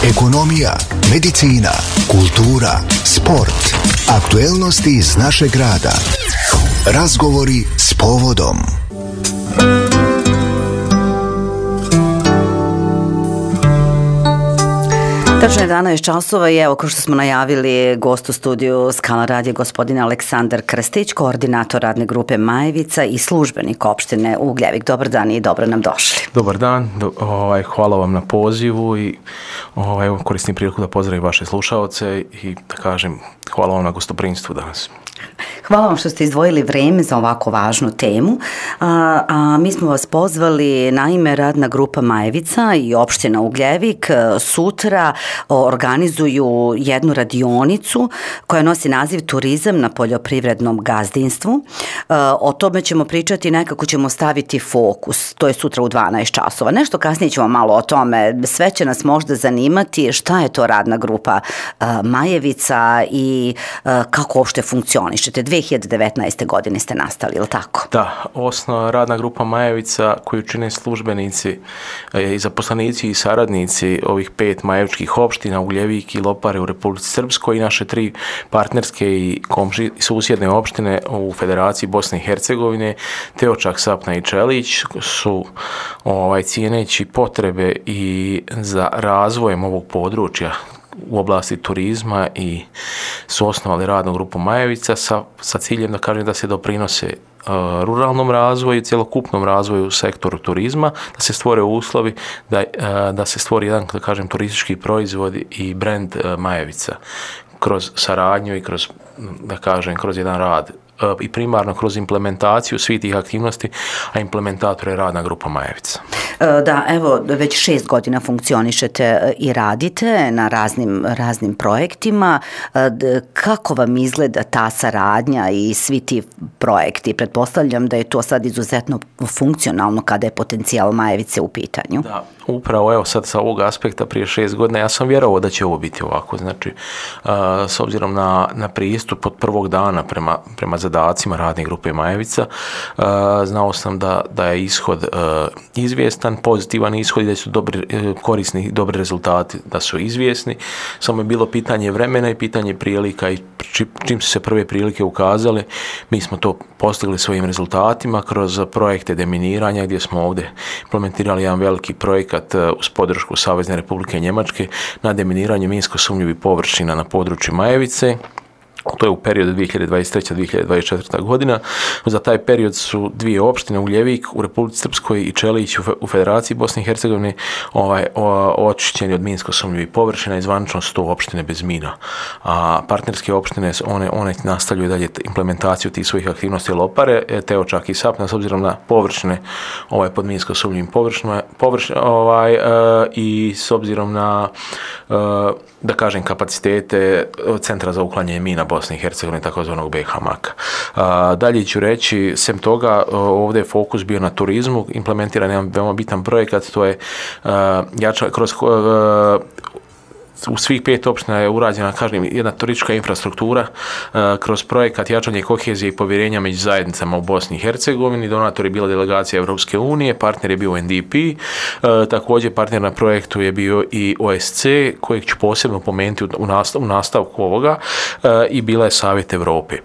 ekonomija, medicina, kultura, sport, aktuelnosti iz našeg grada. Razgovori s povodom. Tačno je 11 časova i evo, kao što smo najavili, gost u studiju Skala radija gospodin Aleksandar Krstić, koordinator radne grupe Majevica i službenik opštine Ugljevik. Dobar dan i dobro nam došli. Dobar dan, hvala vam na pozivu i koristim priliku da pozdravim vaše slušaoce i da kažem hvala vam na gostoprimstvu danas. Hvala vam što ste izdvojili vreme za ovako važnu temu. Mi smo vas pozvali, naime, radna grupa Majevica i opština Ugljevik sutra organizuju jednu radionicu koja nosi naziv Turizam na poljoprivrednom gazdinstvu. O tome ćemo pričati, nekako ćemo staviti fokus. To je sutra u 12 časova. Nešto kasnije ćemo malo o tome. Sve će nas možda zanimati šta je to radna grupa Majevica i kako uopšte funkcionišete. 2019. godine ste nastali, ili tako? Da, osnovna radna grupa Majevica koju čine službenici i zaposlenici i saradnici ovih 5 majevičkih opština, Ugljevik i Lopare u Republici Srpskoj i naše 3 partnerske i susjedne opštine u Federaciji Bosne i Hercegovine, Teočak, Sapna i Čelić su cijeneći potrebe i za razvojem ovog područja u oblasti turizma i su osnovali radnu grupu Majevica sa ciljem da kažem da se doprinose ruralnom razvoju, cjelokupnom razvoju u sektoru turizma, da se stvore uslovi, da se stvori jedan, da kažem, turistički proizvod i brend Majevica kroz saradnju i kroz, da kažem, kroz jedan rad i primarno kroz implementaciju svih tih aktivnosti, a implementator je radna grupa Majevica. Da, evo, već 6 godina funkcionišete i radite na raznim projektima. Kako vam izgleda ta saradnja i svi ti projekti? Pretpostavljam da je to sad izuzetno funkcionalno kada je potencijal Majevice u pitanju. Da, upravo evo sad sa ovog aspekta prije 6 godina ja sam vjerovao da će ovo biti ovako. Znači, s obzirom na pristup od prvog dana prema zadacima radne grupe Majevica, znao sam da je ishod izvjestan, pozitivan ishod i da su korisni, dobri rezultati da su izvjesni. Samo je bilo pitanje vremena i pitanje prilika i čim su se prve prilike ukazale, mi smo to postigli svojim rezultatima kroz projekte deminiranja gdje smo ovdje implementirali jedan veliki projekat uz podršku Savezne Republike Njemačke na deminiranju minsko sumnjivih površina na području Majevice. To je u periodu 2023-2024. godina. Za taj period su 2 opštine, Ugljevik u Republici Srpskoj i Čelić u Federaciji Bosne i Hercegovine, očišćeni od minsko sumnjivih površina i zvanično 100 opštine bez mina. A partnerske opštine, one nastavljaju dalje implementaciju tih svojih aktivnosti Lopare, Teočak i Sapna, s obzirom na površine pod minsko sumnjivim površinama i s obzirom na da kažem kapacitete Centra za uklanjanje mina Bosne i Hercegovine, takozvanog BH-MAK. Dalje ću reći, sem toga, ovdje je fokus bio na turizmu, implementiran jedan veoma bitan projekat, to je u svih 5 opština je urađena, kažem, jedna turistička infrastruktura kroz projekat jačanje kohezije i povjerenja među zajednicama u Bosni i Hercegovini. Donator je bila delegacija Europske unije, partner je bio NDP, također partner na projektu je bio i OSC, kojeg ću posebno pomenuti u nastavku ovoga, i bila je Savjet Europe.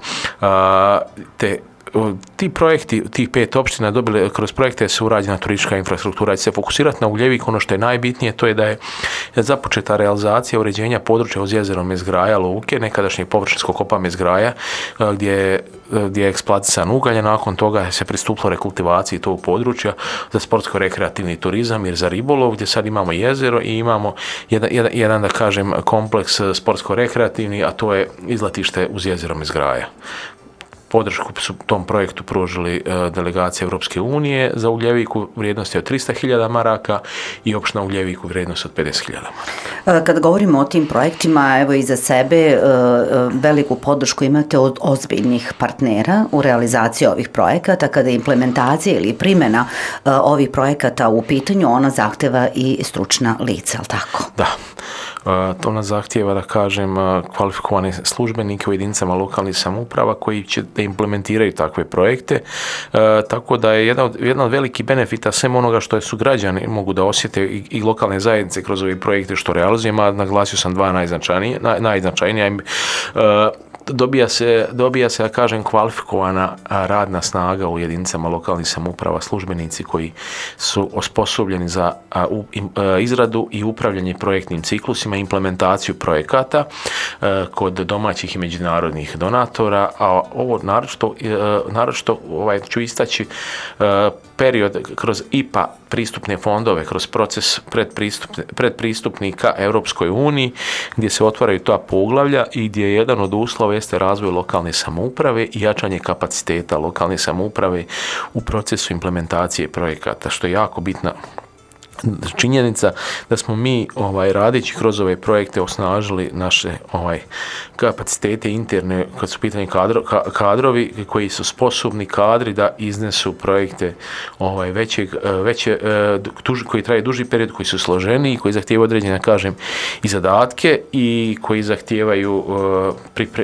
Ti projekti, tih 5 opština dobili kroz projekte su urađena turistička infrastruktura. Se fokusirati na Ugljevik, ono što je najbitnije, to je da je započeta realizacija uređenja područja uz jezero Mezgraja, luke, nekadašnjeg površinskog kopa Mezgraja, gdje je eksploatisan ugalj, nakon toga se pristupilo rekultivaciji tog područja za sportsko-rekreativni turizam i za ribolov, gdje sad imamo jezero i imamo jedan da kažem, kompleks sportsko-rekreativni, a to je izletište uz jezero Mezgraja. Podršku su tom projektu pružili delegacije Europske unije za Ugljevik u vrijednosti od 300.000 maraka i opština Ugljevik u vrijednosti od 50.000 maraka. Kad govorimo o tim projektima, evo i za sebe veliku podršku imate od ozbiljnih partnera u realizaciji ovih projekata. Kada je implementacija ili primjena ovih projekata u pitanju, ona zahteva i stručna lica, ali tako? Da. To nas zahtijeva, da kažem, kvalifikovane službenike u jedinicama lokalnih samouprava koji će da implementiraju takve projekte. Tako da je jedna od velikih benefita svem onoga što su građani mogu da osjete i lokalne zajednice kroz ove projekte što realizujemo, a naglasio sam dva najznačajnija. Dobija se, da kažem, kvalifikovana radna snaga u jedinicama lokalnih samouprava, službenici koji su osposobljeni za izradu i upravljanje projektnim ciklusima, implementaciju projekata kod domaćih i međunarodnih donatora, a ovo naročito ću istaći period kroz IPA pristupne fondove, kroz proces predpristupnika Europskoj uniji, gdje se otvaraju ta poglavlja i gdje je jedan od uslova jeste razvoj lokalne samouprave i jačanje kapaciteta lokalne samouprave u procesu implementacije projekata, što je jako bitna činjenica da smo mi radeći kroz ove projekte osnažili naše kapacitete interne kad su pitanje kadrovi koji su sposobni kadri da iznesu projekte koji traje duži period, koji su složeniji, koji zahtijevaju određene, kažem, i zadatke i koji zahtijevaju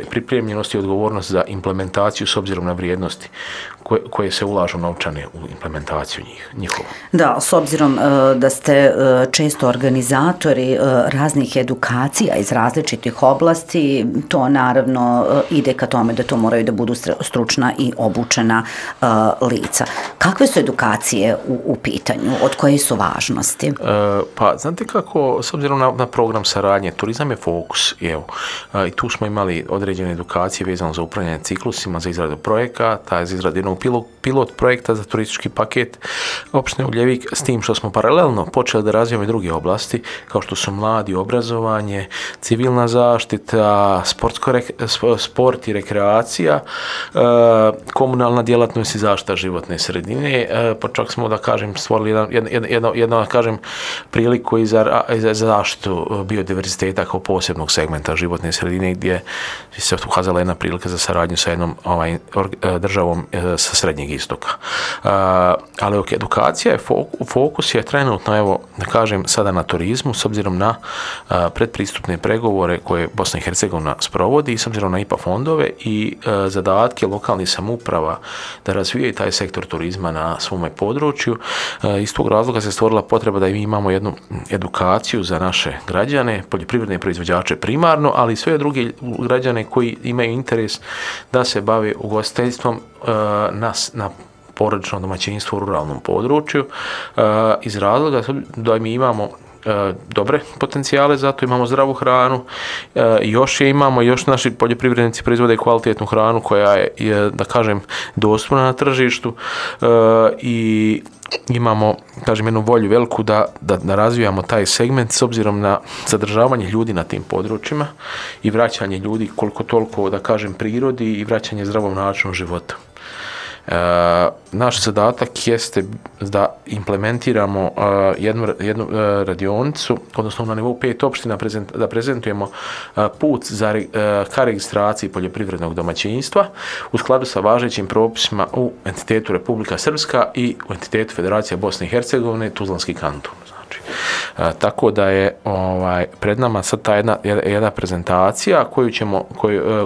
pripremljenost i odgovornost za implementaciju s obzirom na vrijednosti koje se ulažu novčane u implementaciju njihovu. Da, s obzirom da ste često organizatori raznih edukacija iz različitih oblasti, to naravno ide ka tome da to moraju da budu stručna i obučena lica. Kakve su edukacije u pitanju? Od koje su važnosti? Pa, znate kako, s obzirom na program saradnje, turizam je fokus. I tu smo imali određene edukacije vezano za upravljanje ciklusima, za izradu projekata, za izradu jednog pilot projekta za turistički paket opštine Ugljevik, s tim što smo paralelno počeli da razvijamo i druge oblasti, kao što su mladi, obrazovanje, civilna zaštita, sport i rekreacija, komunalna djelatnost i zaštita životne sredine, pa čak smo, da kažem, stvorili jednu, da kažem, priliku i za zaštitu biodiverziteta kao posebnog segmenta životne sredine, gdje se ukazala jedna prilika za saradnju sa jednom državom sa Srednjeg istoka. Ali edukacija je fokus je trenutno, evo, da kažem, sada na turizmu, s obzirom na predpristupne pregovore koje Bosna i Hercegovina sprovodi i s obzirom na IPA fondove i zadatke lokalnih samouprava da razvijaju taj sektor turizma na svome području. Iz tog razloga se stvorila potreba da mi imamo jednu edukaciju za naše građane, poljoprivredne proizvođače primarno, ali i sve druge građane koji imaju interes da se bave ugostiteljstvom na porodičnom domaćinstvu u ruralnom području, iz razloga da mi imamo dobre potencijale, zato imamo zdravu hranu, još naši poljoprivrednici proizvode kvalitetnu hranu koja je, da kažem, dostupna na tržištu i imamo, kažem, jednu volju veliku da razvijamo taj segment s obzirom na zadržavanje ljudi na tim područjima i vraćanje ljudi koliko toliko, da kažem, prirodi i vraćanje zdravom načinu života. Naš zadatak jeste da implementiramo jednu radionicu, odnosno na nivou 5 opština, da prezentujemo put ka registraciji poljoprivrednog domaćinstva u skladu sa važećim propisima u entitetu Republika Srpska i u entitetu Federacija Bosne i Hercegovine, Tuzlanski kanton. Tako da je pred nama sad ta jedna prezentacija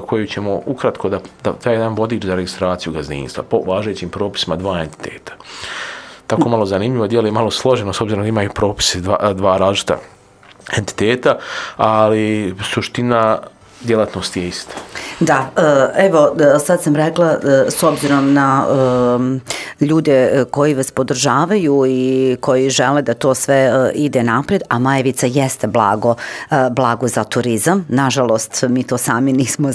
koju ćemo ukratko da taj jedan vodič za registraciju gazdinstva po važećim propisima dva entiteta. Tako malo zanimljivo, djelo je malo složeno s obzirom da imaju propisi dva različita entiteta, ali suština djelatnost je ista. Da, evo, sad sam rekla, s obzirom na ljude koji znaju i koji žele da to sve ide naprijed, a Majevica jeste blago za turizam. Nažalost, mi to sami nismo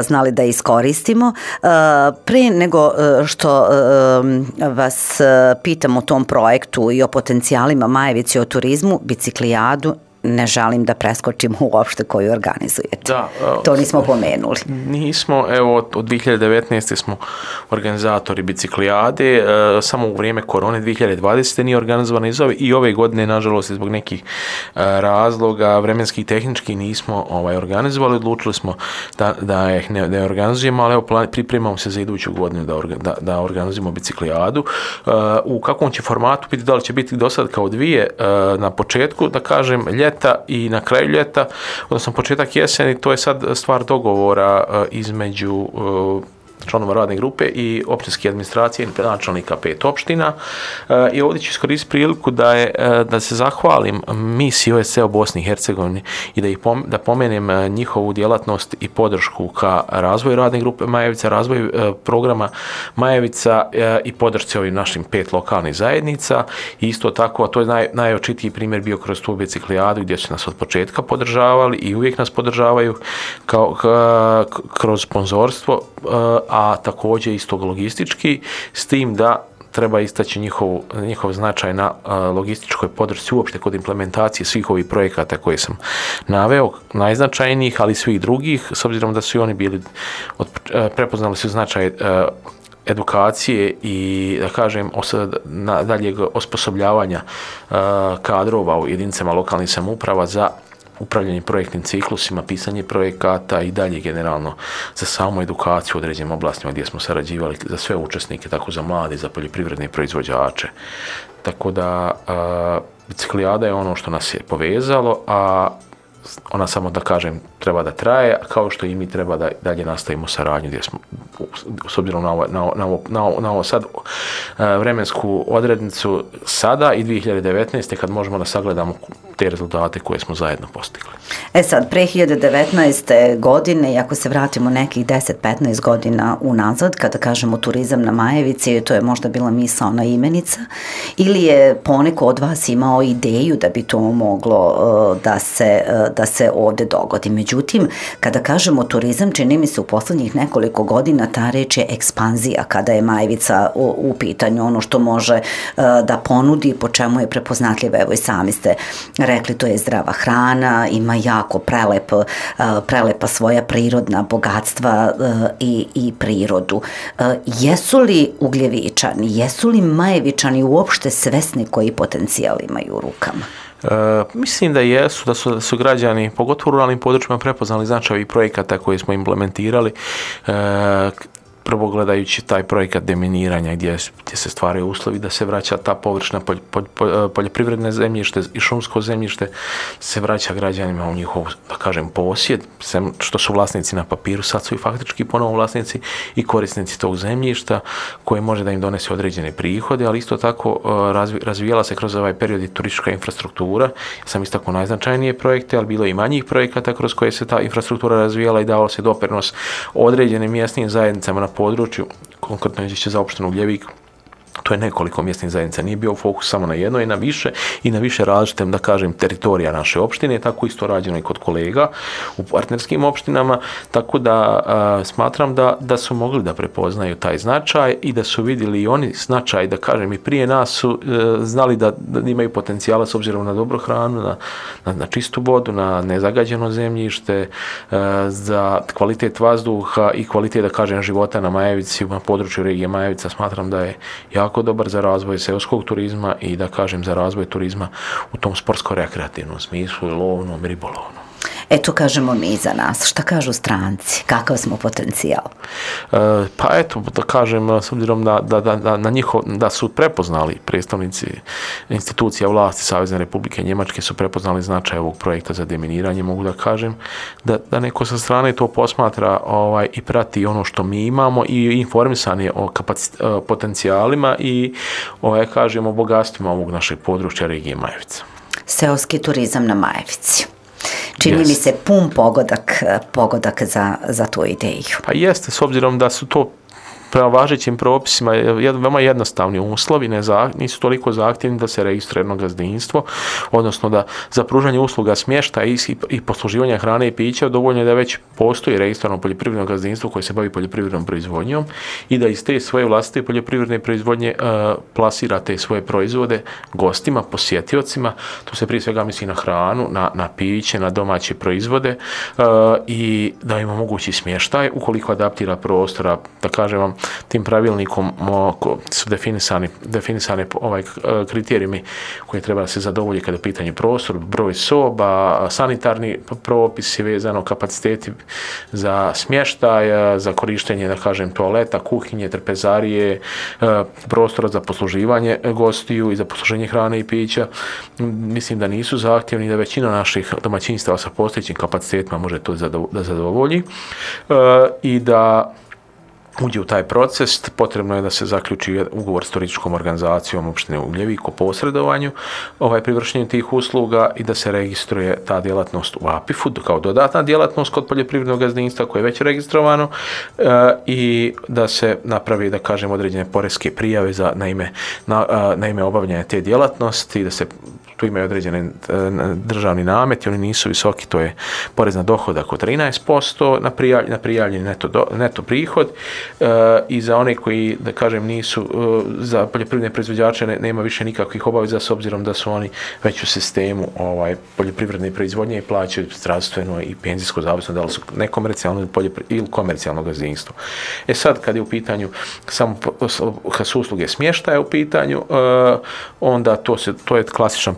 znali da iskoristimo. Pre nego što vas pitam o tom projektu i o potencijalima Majevice o turizmu, biciklijadu, ne želim da preskočimo uopšte koju organizujete. Da, to nismo pomenuli. Nismo, evo, od 2019. smo organizatori biciklijade, samo u vrijeme korone 2020. nije organizovana i ove godine, nažalost, zbog nekih razloga vremenskih i tehničkih nismo organizovali, odlučili smo da ih ne organizujemo, ali evo, pripremamo se za iduću godinu da organizujemo biciklijadu. U kakvom će formatu biti, da li će biti do sad kao dvije na početku, da kažem, ljeta i na kraju ljeta, odnosno početak jeseni, to je sad stvar dogovora između članova radne grupe i općinske administracije i načelnika 5 opština. I ovdje ću iskoristiti priliku da se zahvalim misiji OSCE u Bosni i Hercegovini i da pomenem njihovu djelatnost i podršku ka razvoju radne grupe Majevica, razvoju programa Majevica i podršci ovim našim 5 lokalnih zajednica. I isto tako, a to je najočitiji primjer bio kroz tu biciklijadu gdje su nas od početka podržavali i uvijek nas podržavaju kroz sponzorstvo, a također isto logistički, s tim da treba istaći njihov značaj na logističkoj podršci uopšte kod implementacije svih ovih projekata koje sam naveo, najznačajnijih, ali i svih drugih, s obzirom da su i oni bili, prepoznali su značaj edukacije i, da kažem, daljeg osposobljavanja kadrova u jedinicama lokalnih samouprava za upravljanje projektnim ciklusima, pisanje projekata i dalje generalno za samu edukaciju u određenim oblastima gdje smo sarađivali za sve učesnike, tako za mlade, za poljoprivredne proizvođače. Tako da biciklijada je ono što nas je povezalo, a ona, samo da kažem, treba da traje, kao što i mi treba da dalje nastavimo saradnju gdje smo, s obzirom na ovo sad vremensku odrednicu sada i 2019. kad možemo da sagledamo te rezultate koje smo zajedno postigli. Sad, pre 2019. godine, i ako se vratimo nekih 10-15 godina unazad, kada kažemo turizam na Majevici, to je možda bila misaona imenica, ili je poneko od vas imao ideju da bi to moglo da se ovdje dogodi. Međutim, kada kažemo turizam, čini mi se u poslednjih nekoliko godina ta reč je ekspanzija, kada je Majevica u pitanju, ono što može da ponudi, po čemu je prepoznatljiva. Evo i sami ste rekli, to je zdrava hrana, ima jako prelepa svoja prirodna bogatstva i prirodu. Jesu li Ugljevičani, jesu li Majevičani uopšte svesni koji potencijal imaju u rukama? Mislim da jesu, da su građani, pogotovo u ruralnim područjima, prepoznali značaj ovih projekata koje smo implementirali. Prvo gledajući taj projekat deminiranja gdje se stvaraju uslovi da se vraća ta površna poljoprivredne zemljište i šumsko zemljište, se vraća građanima u njihov, da kažem, posjed, što su vlasnici na papiru, sad su i faktički ponovo vlasnici i korisnici tog zemljišta koje može da im donese određene prihode, ali isto tako razvijala se kroz ovaj period i turistička infrastruktura. Ja sam istaknuo najznačajnije projekte, ali bilo i manjih projekata kroz koje se ta infrastruktura razvijala i davalo se doprinos određenim mjesnim zajednicama na području, konkretno izvješće za opštinu Uljevik. To je nekoliko mjesnih zajednica, nije bio fokus samo na jedno i na više različite, da kažem, teritorija naše opštine, tako isto rađeno i kod kolega u partnerskim opštinama, tako da smatram da su mogli da prepoznaju taj značaj i da su vidjeli i oni značaj, da kažem, i prije nas su znali da imaju potencijala s obzirom na dobru hranu, na čistu vodu, na nezagađeno zemljište, za kvalitet vazduha i kvalitet, da kažem, života na Majevici, na području regije Majevica. Smatram da je jako dobar za razvoj seoskog turizma i, da kažem, za razvoj turizma u tom sportsko-rekreativnom smislu, lovnom, ribolovnom. Eto, kažemo mi za nas. Šta kažu stranci? Kakav smo potencijal? Pa eto, da kažem, s obzirom da su prepoznali predstavnici institucija vlasti Savezne Republike Njemačke, su prepoznali značaj ovog projekta za deminiranje, mogu da kažem da neko sa strane to posmatra i prati ono što mi imamo i informisan je o potencijalima i kažemo bogatstvima ovog našeg područja regije Majevica. Seoski turizam na Majevici. Čini mi se pun pogodak za tu ideju. Pa jeste, s obzirom da su to prema važećim propisima veoma jednostavni uslovi, nisu toliko zahtjevni da se registruje jedno gazdinstvo, odnosno da za pružanje usluga smještaja i posluživanja hrane i pića dovoljno je da već postoji registrirano poljoprivredno gazdinstvo koje se bavi poljoprivrednom proizvodnjom i da iz te svoje vlastite poljoprivredne proizvodnje plasira te svoje proizvode gostima, posjetiocima. Tu se prije svega misli na hranu, na piće, na domaće proizvode i da im omogući smještaj ukoliko adaptira prostora, da kažem vam, tim pravilnikom su definisane kriterijumi koji treba se zadovolji kada je pitanje prostor, broj soba, sanitarni propisi vezano, kapaciteti za smještaj, za korištenje, da kažem, toaleta, kuhinje, trpezarije, prostora za posluživanje gostiju i za posluženje hrane i pića. Mislim da nisu zahtjevni, da većina naših domaćinstava sa postojećim kapacitetima može to da zadovolji i da uđe u taj proces. Potrebno je da se zaključi ugovor s turističkom organizacijom opštine Ugljevik o posredovanju pri vršenju tih usluga i da se registruje ta djelatnost u APIF-u kao dodatna djelatnost kod poljoprivrednog gazdinstva koje je već registrovano i da se napravi, da kažem, određene poreske prijave na ime obavljanja te djelatnosti, da se tu imaju određene državni nameti, oni nisu visoki, to je porez na dohodak od 13% na prijavljeni neto prihod i za one koji, da kažem, nisu, za poljoprivredne proizvođače nema više nikakvih obaveza s obzirom da su oni već u sistemu poljoprivredne proizvodnje i plaćaju zdravstveno i penzijsko, zavisno da li su nekomercijalno ili komercijalno gazdinstvo. Sad, kad je u pitanju kad su usluge smještaja u pitanju, onda to je klasičan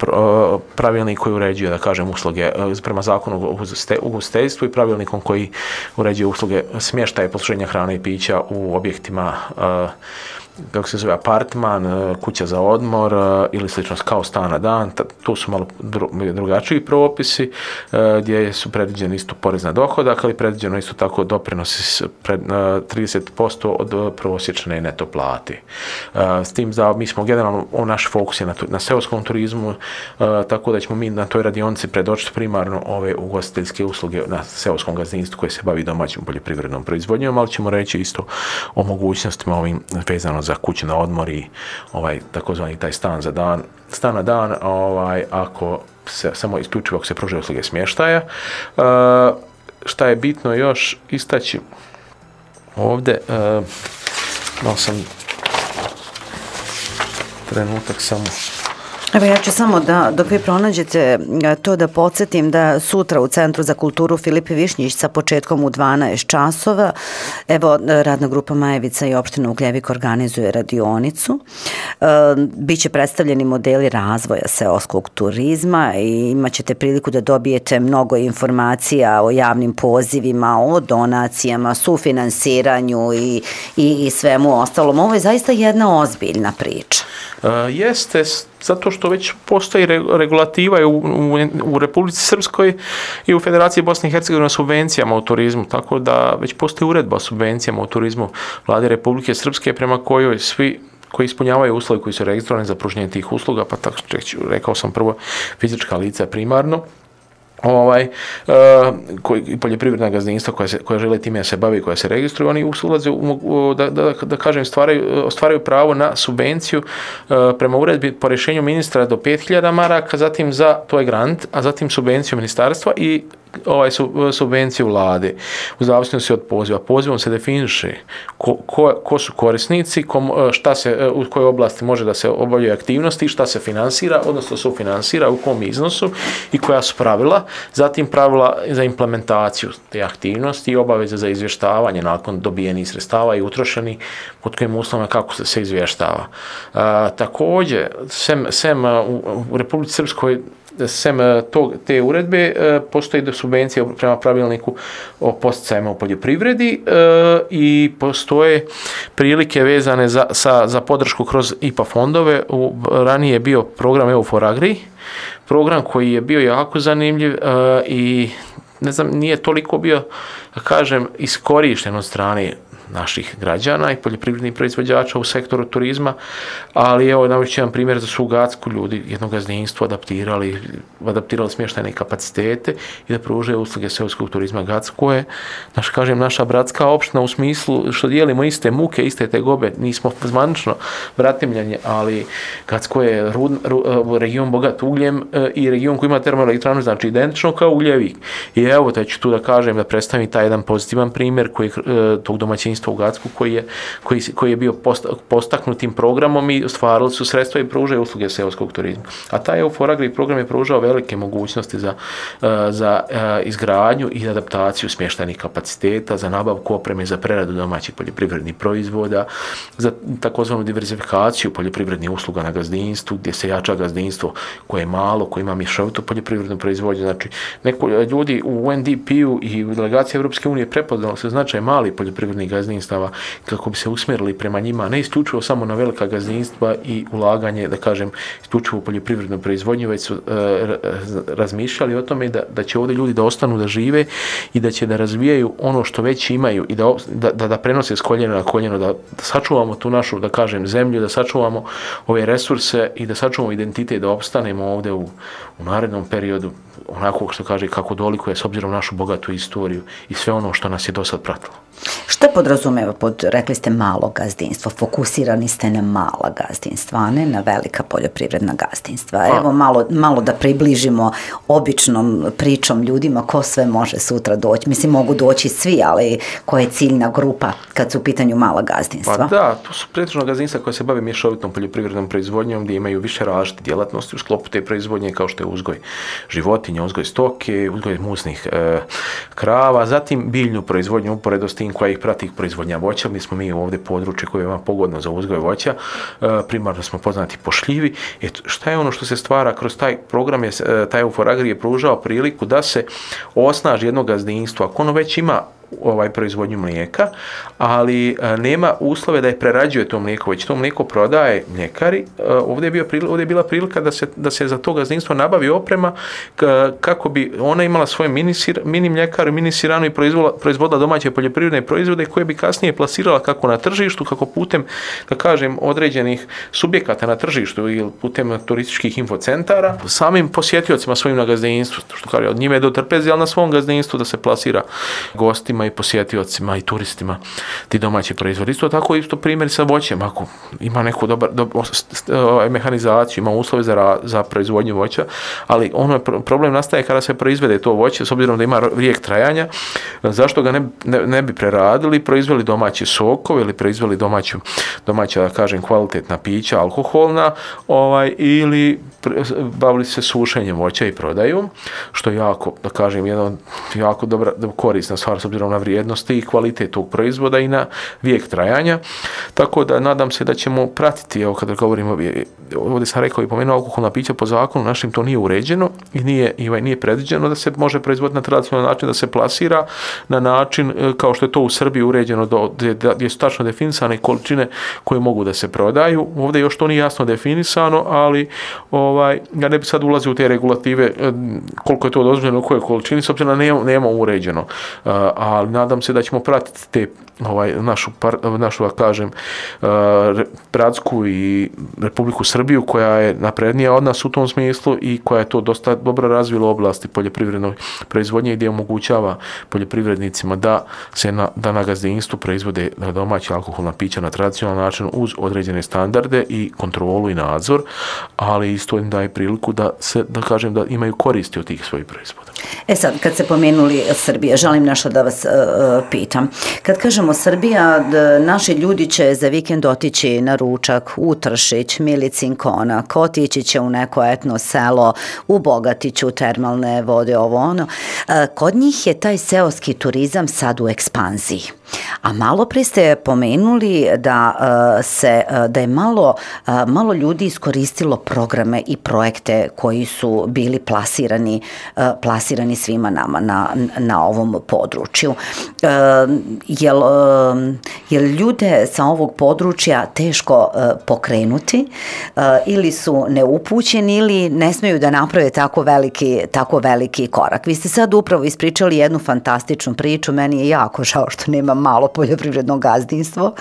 pravilnik koji uređuje, da kažem, usluge prema zakonu o ugostiteljstvu i pravilnikom koji uređuje usluge smještaja i posluženja hrane i pića u objektima, kako se zove, apartman, kuća za odmor ili slično kao stan na dan. Tu su malo drugačiji propisi gdje su predviđeni isto porez na dohodak, ali predviđeno isto tako doprinosi 30% od prosječne neto plate. S tim da mi smo generalno, naš fokus je na seoskom turizmu, tako da ćemo mi na toj radionici predočiti primarno ove ugostiteljske usluge na seoskom gazdinstvu koje se bavi domaćom poljoprivrednom proizvodnjom, ali ćemo reći isto o mogućnostima ovim vezano za kuću na odmor i takozvani taj stan na dan, ako se samo isključivo ako se pružaju usluge smještaja. Šta je bitno još istaći ovdje, malo sam trenutak samo. Evo, ja ću samo dok vi pronađete to da podsjetim da sutra u Centru za kulturu Filip Višnjić sa početkom u 12 časova, evo, radna grupa Majevica i opština Ugljevik organizuje radionicu. Biće predstavljeni modeli razvoja seoskog turizma i imat ćete priliku da dobijete mnogo informacija o javnim pozivima, o donacijama, sufinansiranju i svemu ostalom. Ovo je zaista jedna ozbiljna priča. Jeste, zato što već postoji regulativa u Republici Srpskoj i u Federaciji Bosne i Hercegovine o subvencijama u turizmu, tako da već postoji uredba o subvencijama u turizmu Vlade Republike Srpske prema kojoj svi koji ispunjavaju uslove koji su registrovani za pružanje tih usluga, pa tako rekao sam prvo fizička lica primarno, poljoprivredna gazdinstva koja žele time se bavi, koja se registruju, oni ulaze da kažem ostvaraju pravo na subvenciju prema uredbi po rješenju ministra do 5.000 maraka, zatim to je grant, a zatim subvenciju ministarstva i subvenciju vlade u zavisnosti od poziva. Pozivom se definiše ko su korisnici, u kojoj oblasti može da se obavljaju aktivnosti, šta se finansira, odnosno sufinansira, u kom iznosu i koja su pravila, zatim pravila za implementaciju te aktivnosti i obaveze za izvještavanje nakon dobijenih sredstava i utrošeni, pod kojim uslovima kako se izvještava. Također, sem u Republici Srpskoj, sem te uredbe, postoji subvencija prema pravilniku o podsticajima u poljoprivredi i postoje prilike vezane za podršku kroz IPA fondove. Ranije je bio program EU4Agri, program koji je bio jako zanimljiv i ne znam, nije toliko bio, da kažem, iskorišten od strane naših građana i poljoprivrednih proizvođača u sektoru turizma, ali evo navešću jedan primjer za svu Gacku, ljudi jednog gazdinstva adaptirali smještajne kapacitete i da pružaju usluge seoskog turizma. Gacko je, naša bratska opština u smislu što dijelimo iste muke, iste tegobe, nismo zvanično bratimljanje, ali Gacko je region bogat ugljem i region koji ima termoelektranu, znači identično kao Ugljevik. I evo, da ću tu da kažem, da predstavim taj jedan pozitivan primjer koji tog domaćinstva gazdinstva u Gacku koji je bio postaknutim programom i stvarali su sredstva i pružaju usluge seoskog turizma. A taj EUFOR-AGRI program je pružao velike mogućnosti za izgradnju i adaptaciju smještajnih kapaciteta, za nabavku opreme za preradu domaćih poljoprivrednih proizvoda, za takozvanu diverzifikaciju poljoprivrednih usluga na gazdinstvu, gdje se jača gazdinstvo koje je malo, koje ima mješovitu poljoprivrednu proizvodnju. Znači, ljudi u UNDP-u i u delegaciji Europske unije prepoznali se značaj malih poljoprivrednih gazdinstava kako bi se usmjerili prema njima, ne isključivo samo na velika gazdinstva i ulaganje, da kažem, isključivo u poljoprivrednu proizvodnju, već su razmišljali o tome da će ovdje ljudi da ostanu da žive i da će da razvijaju ono što već imaju i da prenose s koljena na koljeno, da sačuvamo tu našu, da kažem, zemlju, da sačuvamo ove resurse i da sačuvamo identitet, da opstanemo ovdje u narednom periodu onako što kaže kako dolikuje s obzirom na našu bogatu istoriju i sve ono što nas je do sad pratilo. Šta podrazumeva rekli ste malo gazdinstvo, fokusirani ste na mala gazdinstva, a ne na velika poljoprivredna gazdinstva. Evo malo da približimo običnom pričom ljudima ko sve može sutra doći. Mislim, mogu doći svi, ali koja je ciljna grupa kad su u pitanju mala gazdinstva? Pa da, to su pretežno gazdinstva koje se bave mješovitom poljoprivrednom proizvodnjom gdje imaju više različite djelatnosti u sklopu te proizvodnje kao što je uzgoj životinja, uzgoj stoke, uzgoj muznih krava, zatim biljnu proizvodnju uporedo s tim koja ih prati proizvodnja voća. Mi smo ovdje područje koje je vam pogodno za uzgoj voća, primarno smo poznati po šljivi. Šta je ono što se stvara kroz taj program? Taj EUFOR-AGRI je pružao priliku da se osnaži jedno gazdinstvo, ako ono već ima proizvodnju mlijeka, ali nema uslove da je prerađuje to mlijeko, već to mlijeko prodaje mljekari. Ovdje je bila prilika da se za to gazdinstvo nabavi oprema kako bi ona imala svoje mini mljekaru, mini siranu i proizvodila domaće poljoprivredne proizvode koje bi kasnije plasirala kako na tržištu, kako putem, da kažem, određenih subjekata na tržištu ili putem turističkih infocentara, samim posjetiocima svojim na gazdinstvu, što kaže, od njime do trpezi, ali na svom gazdinstvu da se plasira gostima i posjetiocima i turistima ti domaći proizvodi. Isto tako isto primjer sa voćem, ako ima neku mehanizaciju, ima uslove za proizvodnju voća, ali problem nastaje kada se proizvede to voće, s obzirom da ima vijek trajanja, zašto ga ne bi preradili, proizveli domaće sokove ili proizveli domaća, da kažem, kvalitetna pića, alkoholna, ili bavili se sušenjem voća i prodaju, što je jako, da kažem, jedna jako dobra, korisna stvar s obzirom na vrijednosti i kvalitet tog proizvoda i na vijek trajanja. Tako da nadam se da ćemo pratiti, evo kada govorimo, ovdje sam rekao i pomenuo, alkoholna pića po zakonu našim to nije uređeno i nije predviđeno da se može proizvoditi na tradicionalan način, da se plasira na način kao što je to u Srbiji uređeno, gdje su tačno definisane količine koje mogu da se prodaju. Ovdje još to nije jasno definisano, ali ja ne bi sad ulazio u te regulative koliko je to dozvoljeno, u kojoj količini, s obzirom da nemamo uređeno. Ali nadam se da ćemo pratiti te našu, da kažem, Bratsku i Republiku Srbiju koja je naprednija od nas u tom smislu i koja je to dosta dobro razvila u oblasti poljoprivrednog proizvodnje gdje omogućava poljoprivrednicima da na gazdinstvu proizvode domaća alkoholna pića na tradicionalan način uz određene standarde i kontrolu i nadzor, ali isto im daje priliku da kažem da imaju koristi od tih svojih proizvoda. Sad, kad se pomenuli Srbija, želim nešto da vas pitam. Kad kažemo Srbija, naši ljudi će za vikend otići na ručak u Tršić, Milicin Konak, otići će u neko etno selo, u Bogatiću, termalne vode, ovo ono. Kod njih je taj seoski turizam sad u ekspanziji. A malo prije ste pomenuli da je malo ljudi iskoristilo programe i projekte koji su bili plasirani svima nama na ovom području. Jel ljude sa ovog područja teško pokrenuti ili su neupućeni ili ne smiju da naprave tako veliki korak? Vi ste sad upravo ispričali jednu fantastičnu priču, meni je jako žao što nema malo poljoprivredno gazdinstvo.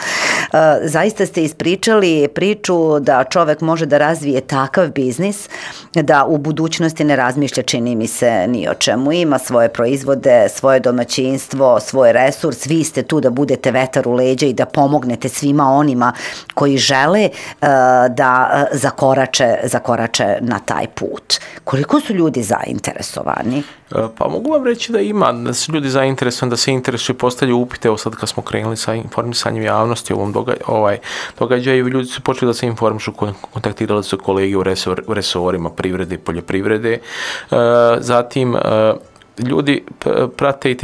Zaista ste ispričali priču da čovek može da razvije takav biznis da u budućnosti ne razmišlja, čini mi se, ni o čemu. Ima svoje proizvode, svoje domaćinstvo, svoj resurs. Vi ste tu da budete vetar u leđa i da pomognete svima onima koji žele da zakorače na taj put. Koliko su ljudi zainteresovani? Pa mogu vam reći da ima, da su ljudi zainteresovani, da se interesuju, postavljaju upite. Evo sad kad smo krenuli sa informisanjem javnosti o ovom događaju, ljudi su počeli da se informišu, kontaktirali su kolege u resorima privrede i poljoprivrede. Zatim, ljudi prate i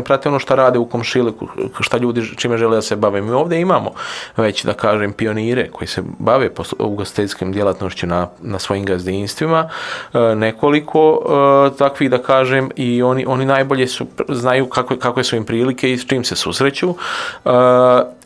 prate ono što rade u komšiluku, šta ljudi čime žele da se bave. Mi ovdje imamo već, da kažem, pionire koji se bave ugostiteljskom djelatnošću na svojim gazdinstvima, nekoliko takvih, da kažem, i oni najbolje znaju kakve su im prilike i s čim se susreću.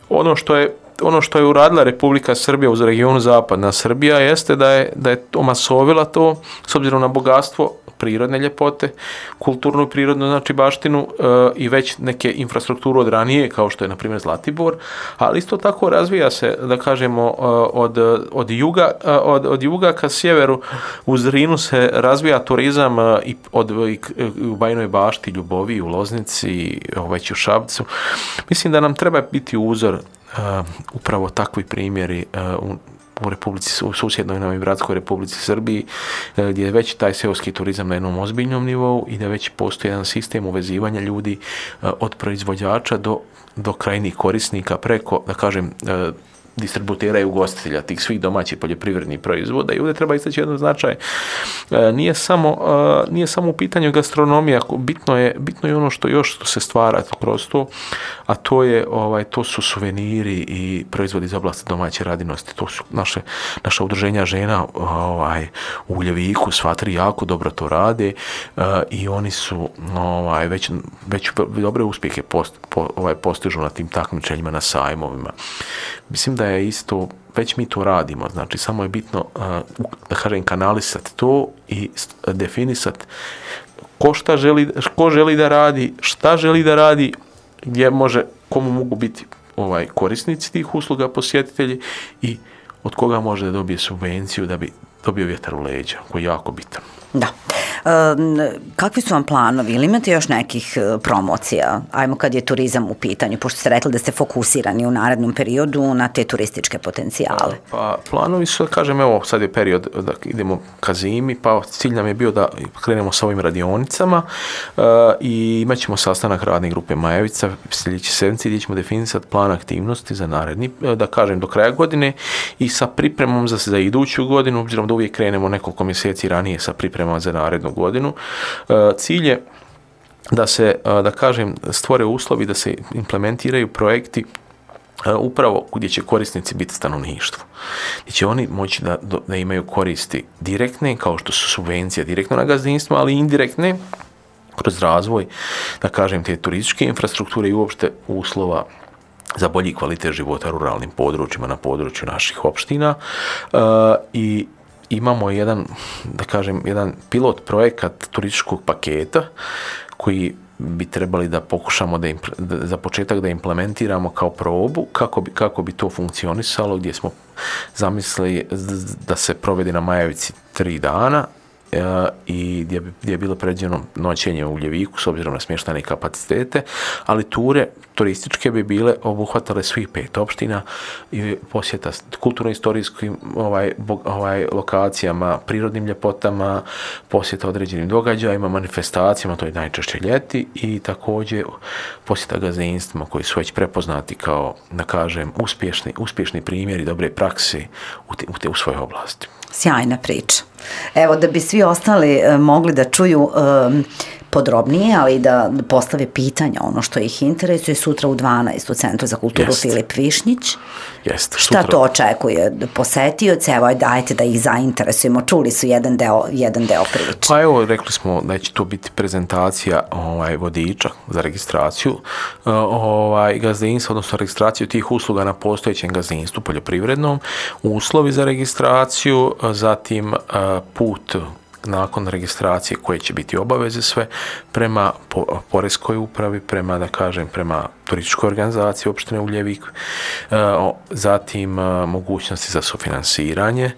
Ono što je uradila Republika Srbija uz regionu Zapadna Srbija jeste da je omasovila to s obzirom na bogatstvo prirodne ljepote, kulturnu i prirodnu, znači baštinu, i već neke infrastrukturu od ranije, kao što je na primjer Zlatibor, ali isto tako razvija se, da kažemo, od juga ka sjeveru u Zrinu se razvija turizam i u Bajinoj Bašti, Ljubovi, u Loznici, već u Šapcu. Mislim da nam treba biti uzor upravo takvi primjeri u susjednoj nam i bratskoj Republici Srbiji, gdje je već taj seoski turizam na jednom ozbiljnom nivou i da već postoji jedan sistem uvezivanja ljudi od proizvođača do krajnjih korisnika preko, da kažem, distributera i ugostitelja tih svih domaćih poljoprivrednih proizvoda. I ovdje treba istaći jedan značaj. Nije samo u pitanju gastronomija, bitno je ono što se stvara kroz to, a to su suveniri i proizvodi iz oblasti domaće radinosti. To su naša udruženja žena u Uljeviku, sva tri jako dobro to rade i oni su već dobre uspjehe postižu na tim takmičenjima, na sajmovima. Mislim da je isto, već mi to radimo, znači samo je bitno, da kažem, kanalisati to i definisati ko želi da radi, šta želi da radi, komu mogu biti korisnici tih usluga, posjetitelji, i od koga može da dobije subvenciju da bi dobio vjetar u leđa, koji je jako bitan. Da. Kakvi su vam planovi? Ili imate još nekih promocija? Ajmo kad je turizam u pitanju, pošto ste rekli da ste fokusirani u narednom periodu na te turističke potencijale. Pa planovi su, kažem, evo sad je period da idemo ka zimi, pa cilj nam je bio da krenemo sa ovim radionicama i imat ćemo sastanak radne grupe Majevica sljedeći sedmici gdje ćemo definisati plan aktivnosti za naredni, da kažem, do kraja godine i sa pripremom za iduću godinu, obzirom da uvijek krenemo nekoliko mjeseci ranije sa pripremama za narednu godinu. Cilj je da se, da kažem, stvore uslovi da se implementiraju projekti upravo gdje će korisnici biti stanovništvo. Gdje će oni moći da imaju koristi direktne, kao što su subvencije direktno na gazdinstvo, ali i indirektne kroz razvoj, da kažem, te turističke infrastrukture i uopšte uslova za bolji kvalitet života u ruralnim područjima, na području naših opština. I imamo jedan pilot projekat turističkog paketa koji bi trebali da pokušamo za početak da implementiramo kao probu kako bi to funkcionisalo, gdje smo zamislili da se provede na Majevici 3 dana i gdje je bilo predviđeno noćenje u Uljeviku s obzirom na smještajne kapacitete, ali ture turističke bi bile obuhvatale svih 5 opština i posjeta kulturno-istorijskim lokacijama, prirodnim ljepotama, posjeta određenim događajima, manifestacijama, to je najčešće ljeti, i također posjeta gazdinstvima koji su već prepoznati kao, da kažem, uspješni primjeri dobre prakse u svojoj oblasti. Sjajna priča. Evo, da bi svi ostali mogli da čuju podrobnije, ali da postave pitanja, ono što ih interesuje, sutra u 12 u Centru za kulturu Filip Višnjić. Šta to očekuje posetioce? Evo, dajte da ih zainteresujemo. Čuli su jedan deo priče. Pa evo, rekli smo da će to biti prezentacija vodiča za registraciju gazdinstva, odnosno registraciju tih usluga na postojećem gazdinstvu poljoprivrednom, uslovi za registraciju, zatim put nakon registracije koje će biti obaveze sve prema poreskoj upravi, prema turističkoj organizaciji opštine Uljevik, zatim mogućnosti za sufinansiranje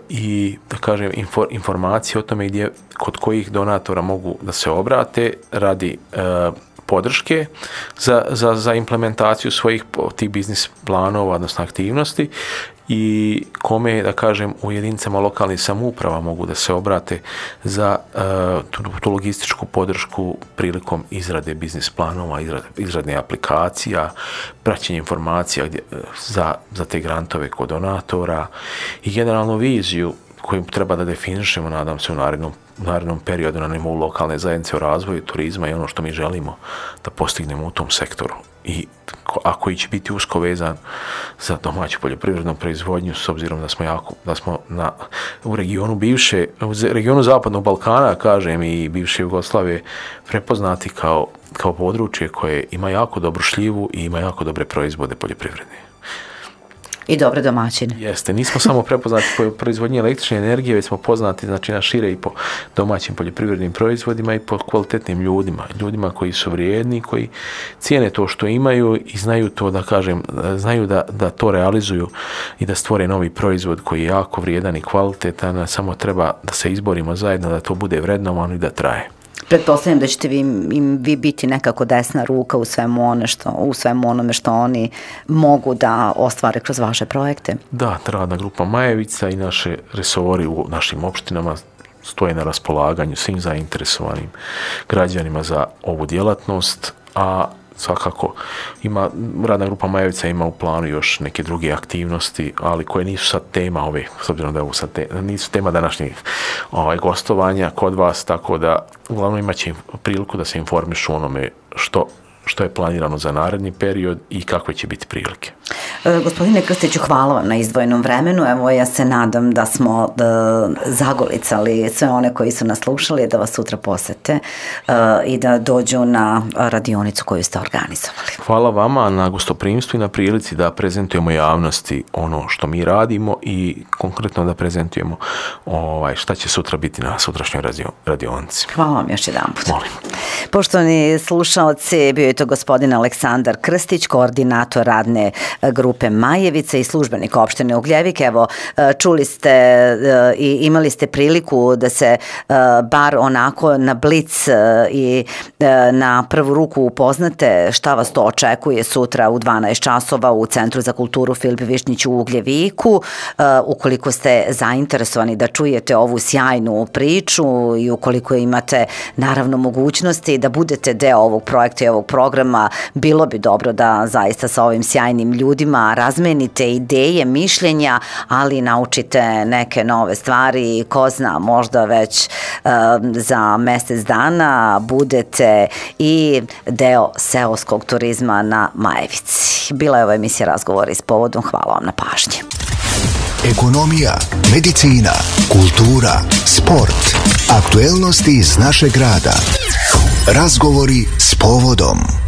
i, da kažem, informacije o tome kod kojih donatora mogu da se obrate radi podrške za implementaciju svojih tih biznis planova, odnosno aktivnosti, i kome, da kažem, u jedinicama lokalnih samouprava mogu da se obrate za tu logističku podršku prilikom izrade biznis planova, izrade aplikacija, praćenje informacija za te grantove kod donatora i generalno viziju koju treba da definišemo, nadam se, u narednom periodu na nivou lokalne zajednice o razvoju turizma i ono što mi želimo da postignemo u tom sektoru. A koji će biti usko vezan za domaću poljoprivrednu proizvodnju, s obzirom da smo u regionu Zapadnog Balkana, kažem, i bivše Jugoslavije prepoznati kao područje koje ima jako dobru šljivu i ima jako dobre proizvode poljoprivredne. I dobre domaćine. Jeste, nismo samo prepoznati po proizvodnji električne energije, već smo poznati, znači, na šire i po domaćim poljoprivrednim proizvodima i po kvalitetnim ljudima koji su vrijedni, koji cijene to što imaju i znaju to, da kažem, znaju da to realizuju i da stvore novi proizvod koji je jako vrijedan i kvalitetan, samo treba da se izborimo zajedno, da to bude vrednovano i da traje. Pretpostavljam da ćete vi biti nekako desna ruka u svemu onome što oni mogu da ostvare kroz vaše projekte. Da, radna grupa Majevica i naše resori u našim opštinama stoje na raspolaganju svim zainteresovanim građanima za ovu djelatnost, a svakako radna grupa Majevica ima u planu još neke druge aktivnosti, ali koje nisu sad tema ove, s obzirom da nisu tema današnjih gostovanja kod vas, tako da uglavnom imat će priliku da se informišu onome što je planirano za naredni period i kakve će biti prilike. Gospodine Krstiću, hvala vam na izdvojenom vremenu. Evo, ja se nadam da smo zagolicali sve one koji su nas slušali, da vas sutra posete i da dođu na radionicu koju ste organizovali. Hvala vama na gostoprimstvu i na prilici da prezentujemo javnosti ono što mi radimo i konkretno da prezentujemo šta će sutra biti na sutrašnjoj radionici. Hvala vam još jedanput. Molim. Poštovani slušaoci, bio je to gospodin Aleksandar Krstić, koordinator radne grupe Majevica i službenik opštine Ugljevik. Evo, čuli ste i imali ste priliku da se bar onako na blic i na prvu ruku upoznate šta vas to očekuje sutra u 12 časova u Centru za kulturu Filip Višnjić u Ugljeviku. Ukoliko ste zainteresovani da čujete ovu sjajnu priču i ukoliko imate naravno mogućnosti da budete deo ovog projekta i ovog programa, bilo bi dobro da zaista sa ovim sjajnim ljudima razmenite ideje, mišljenja, ali naučite neke nove stvari. Ko zna, možda već za mjesec dana budete i deo seoskog turizma na Majevici. Bila je ova emisija Razgovori s povodom. Hvala vam na pažnji. Ekonomija, medicina, kultura, sport, aktuelnosti iz našeg grada. Razgovori s povodom.